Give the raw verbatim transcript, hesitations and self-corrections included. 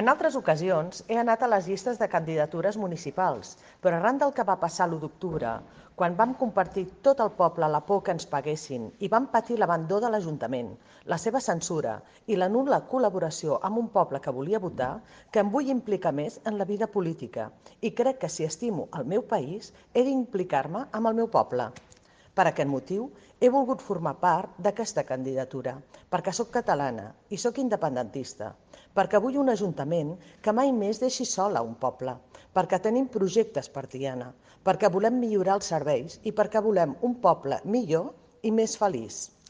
En altres ocasions he anat a les llistes de candidatures municipals, però arran del que va passar l'u d'octubre, quan vam compartir tot el poble la por que ens paguessin i vam patir l'abandó de l'Ajuntament, la seva censura i la nul·la col·laboració amb un poble que volia votar, que em vull implicar més en la vida política i crec que si estimo el meu país he d'implicar-me amb el meu poble. Per aquest motiu, he volgut formar part d'aquesta candidatura, perquè sóc catalana i sóc independentista, perquè vull un ajuntament que mai més deixi sol a un poble, perquè tenim projectes per Tiana, perquè volem millorar els serveis i perquè volem un poble millor i més feliç.